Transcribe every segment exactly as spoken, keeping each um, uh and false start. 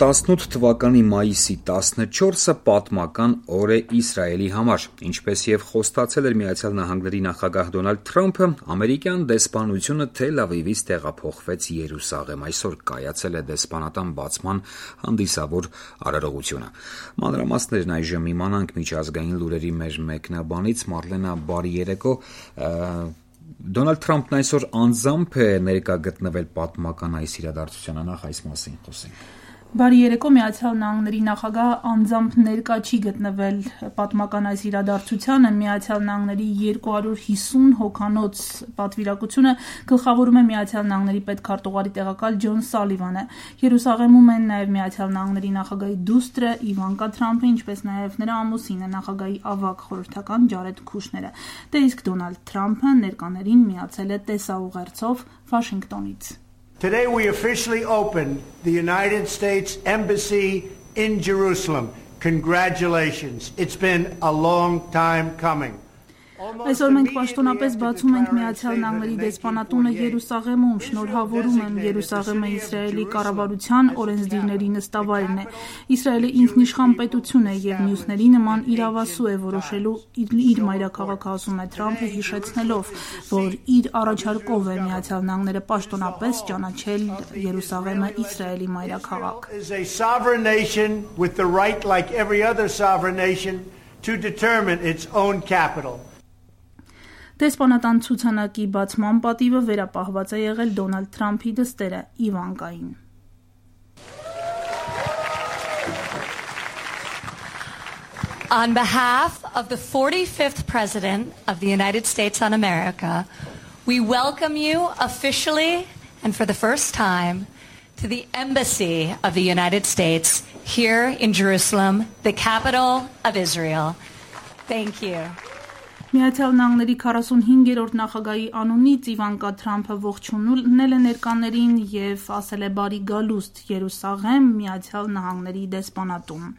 տասնութ թվականի մայիսի տասնչորսը պատմական օր է Իսրայելի համար։ Ինչպես եւ խոստացել էր Միացյալ Նահանգների նախագահ Դոնալդ Թրամփը, ամերիկյան դեսպանությունը Թել Ավիվից տեղափոխվեց Երուսաղեմ։ Այսօր կայացել է դեսպանատան բացման հանդիսավոր արարողությունը։ Մանրամասներն այժմ իմանանք միջազգային լուրերի մեր մեկնաբանից։ Մարլենա, բարի երեկո։ Դոնալդ Թրամփն այսօր անձամբ է ներկա գտնվել պատմական այս իրադարձությանը, նախ այս մասին խոսենք։ Բարի երեկո, Միացյալ Նահանգների նախագահ անձամբ ներկա չի գտնվել պատմական այս իրադարձությանը։ Միացյալ Նահանգների երկու հարյուր հիսուն հոգանոց պատվիրակությունը գլխավորում է Միացյալ Նահանգների պետքարտուղարի տեղակալ Ջոն Սալիվանը։ Երուսաղեմում են նաև Միացյալ Նահանգների նախագահի դուստրը Իվանկա Թրամփը, ինչպես նաև նրա ամուսինը, նախագահի ավագ խորհրդական Ջարեդ Քուշները։ Դե իսկ Դոնալդ Թրամփը ներկաներին միացել է տեսաուղերձով Վաշինգտոնից։ Today we officially opened the United States Embassy in Jerusalem. Congratulations. It's been a long time coming. Այսօր մենք պաշտոնապես բացում ենք Միացյալ Նահանգների դեսպանատունը Երուսաղեմում։ Շնորհավորում եմ Երուսաղեմը Իսրայելի կառավարության օրենսդիրների նստավայրն է։ Իսրայելը ինքնիշխան պետություն է եւ մյուսների նման իրավասու է որոշելու իր մայրաքաղաքը, ասում է Թրամփը, հիշեցնելով, որ իր առաջարկով է Միացյալ Նահանգները պաշտոնապես ճանաչել Երուսաղեմը Իսրայելի մայրաքաղաք։ To determine its own capital. Դեսպանատան ցուցանակի բացման պատիվը վերապահված է եղել Դոնալդ Թրամփի դստերը Իվանկային։ On behalf of the forty-fifth President of the United States of America, we welcome you officially and for the first time to the Embassy of the United States here in Jerusalem, the capital of Israel. Thank you. Միացյալ Նահանգների քառասունհինգերորդ նախագահի անունից Իվանկա Թրամփը ողջունել է ներկաներին եւ ասել է բարի գալուստ Երուսաղեմ, Միացյալ Նահանգների դեսպանատուն։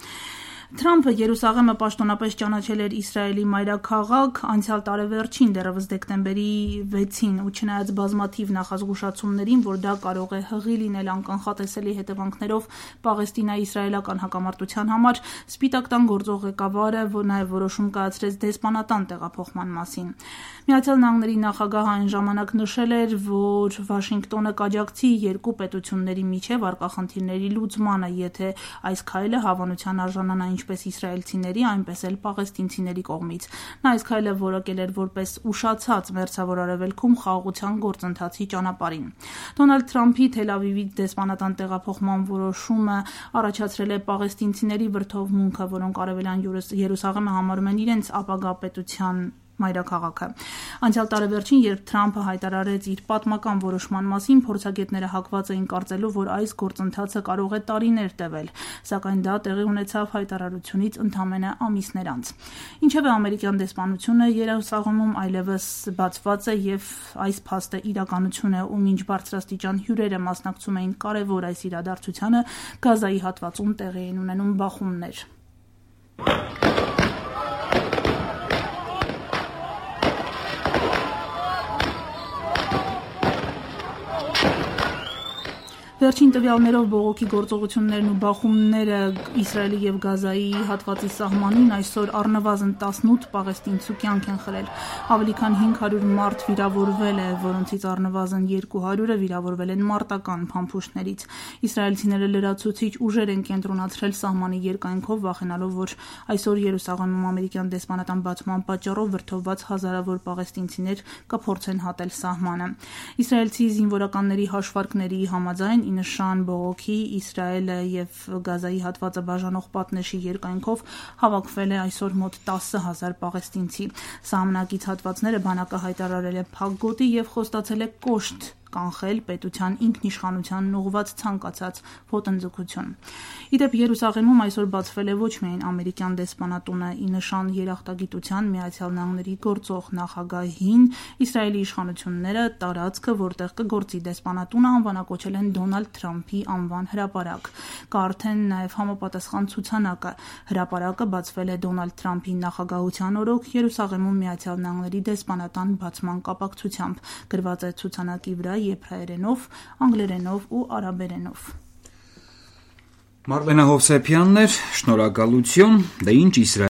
Թրամփը Երուսաղեմը պաշտոնապես ճանաչել էր Իսրայելի մայրաքաղաք անցյալ տարեվերջին, դեռևս դեկտեմբերի վեցին, ու չնայած բազմաթիվ նախազգուշացումներին, որ դա կարող է հղի լինել անկանխատեսելի հետևանքներով Պաղեստինա-իսրայելական հակամարտության համար, Սպիտակ տան գործող ղեկավարը նաև որոշում կայացրեց դեսպանատան տեղափոխման մասին։ Միացյալ Նահանգների նախագահը այն ժամանակ նշել էր, որ Վաշինգտոնը կաջակցի երկու պետությունների միջև արկախնդիրների լուծմանը, եթե այս քայլը հավանության արժանանա ինչպես իսրայելցիների, այնպես էլ պաղեստինցիների կողմից։ Նա այս քայլը որակել էր որպես ուշացած մերձավոր արևելքում խաղաղության գործընթացի ճանապարհին։ Դոնալդ Թրամփի Թել Ավիվի դեսպանատան տեղափոխման որոշումը առաջացրել է պաղեստինցիների վրդովմունքը, որոնք Արևելյան Երուսաղեմը համարում են իրենց ապագա պետության մայրաքաղաքը։ Անցյալ տարեվերջին, երբ Թրամփը հայտարարեց իր պատմական որոշման մասին, փորձագետները հակված էին կարծելու, որ այս գործընթացը կարող է տարիներ տևել, սակայն դա տեղի ունեցավ հայտարարությունից ընդամենը ամիսներ անց։ Ինչևէ, ամերիկյան դեսպանությունը Երուսաղեմում այլևս բացված է եւ այս փաստը իրականություն է, ու մինչ բարձրաստիճան հյուրերը մասնակցում էին կարևոր այս իրադարձությանը, Գազայի հատվածում տեղի էին ունենում բախումներ։ Վերջին տվյալներով բողոքի գործողություններն ու բախումները Իսրայելի եւ Գազայի հատվածի սահմանին այսօր առնվազն տասնութ պաղեստինցու կյանք են խլել։ Ավելի քան հինգ հարյուր մարդ վիրավորվել է, որոնցից առնվազն երկու հարյուրը վիրավորվել են մարտական փամփուշտներից։ Իսրայելցիները լրացուցիչ ուժեր են կենտրոնացրել սահմանի երկայնքով, վախենալով, որ այսօր Երուսաղեմում ամերիկյան դեսպանատան բացման պատճառով վրդովված հազարավոր պաղեստինցիներ կփորձեն հատել սահմանը։ Իսրայելցի զինվորականների հաշվարկների համաձայն ի նշան բողոքի Իսրայելը եւ Գազայի հատվածը բաժանող պատնեշի երկայնքով հավաքվել է այսօր մոտ տասը հազար պաղեստինցի։ Սահմանակից հատվածները բանակը հայտարարել է փակ գոտի եւ խոստացել է կոշտ կանխել պետության ինքնիշխանությանն ուղղված ցանկացած ոտնձգություն։ Իդեպ Երուսաղեմում այսօր բացվել է ոչ միայն ամերիկյան դեսպանատունը, ի նշան երախտագիտության Միացյալ Նահանգների գործող նախագահին Իսրայելի իշխանությունները տարածքը, որտեղ կգործի դեսպանատունը, անվանակոչել են Դոնալդ Թրամփի անվան հրապարակ։ Կա արդեն նաև համապատասխան ցուցանակը։ Հրապարակը բացվել է Դոնալդ Թրամփի նախագահության օրոք Երուսաղեմում Միացյալ Նահանգների դեսպանատան բացման կապակցությամբ։ Գրված է ցուցանակի վրա եբրայերենով, անգլերենով ու արաբերենով։ Մարլենա Հովսեփյանն էր, շնորհակալություն, դե ինչ Իսրայել